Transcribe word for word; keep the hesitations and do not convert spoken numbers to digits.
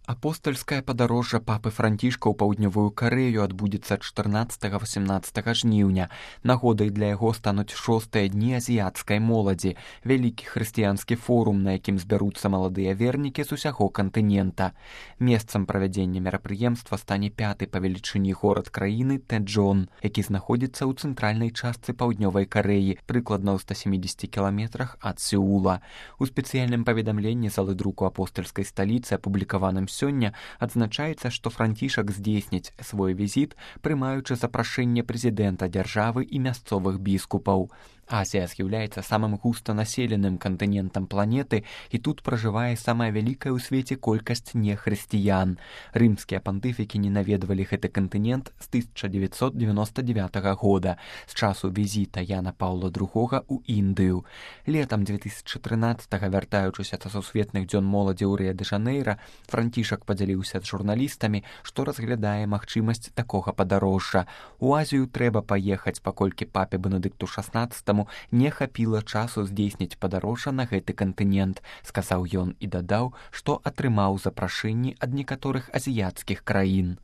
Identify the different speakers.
Speaker 1: Апостальскае падарожжа папы Францішка ў паўднёвую Карэю адбудзецца чатырнаццатага-васямнаццатага жніўня. Нагодай для яго стануць шостыя дні азіяцкай моладзі, вялікі хрысціянскі форум, на якім збяруцца маладыя вернікі з усяго кантынента. Месцам правядзення мерапрыемства стане пяты па велічыні горад краіны Тэджон, які знаходзіцца ў цэнтральнай частцы паўднёвай Карэі, прыкладна ў ста сямідзесяці кіламетрах ад Сеула. У спецыяльным паведамленні залы друку апостальскай сталіцы, апублікаваным сёння, адзначаецца, што Францішак здзейсніць свой візіт, прымаючы запрашэнне прэзідэнта дзяржавы і мясцовых біскупаў. Азія з'яўляецца самым густанаселеным кантынентам планеты, і тут пражывае самая вялікая ў свеце колькасць нехрысціян. Рымскія пантыфікі не наведвалі гэты кантынент з тысяча дзевяцьсот дзевяноста дзевятага года, з часу візіта Яна Паўла другога ў Індыю. Летам две тысячы трынаццатага, вяртаючыся са сусветных дзён моладзі ў Рыа-дэ-Жанэйра, Францішак падзяліўся з журналістамі, што разглядае магчымасць такога падарожжа. У Азію трэба паехаць, паколькі папе Бенедыкту шаснаццатаму не хапіла часу здзейсніць падарожжа на гэты кантынент, сказаў ён і дадаў, што атрымаў запрашэнні ад некаторых азіяцкіх краін.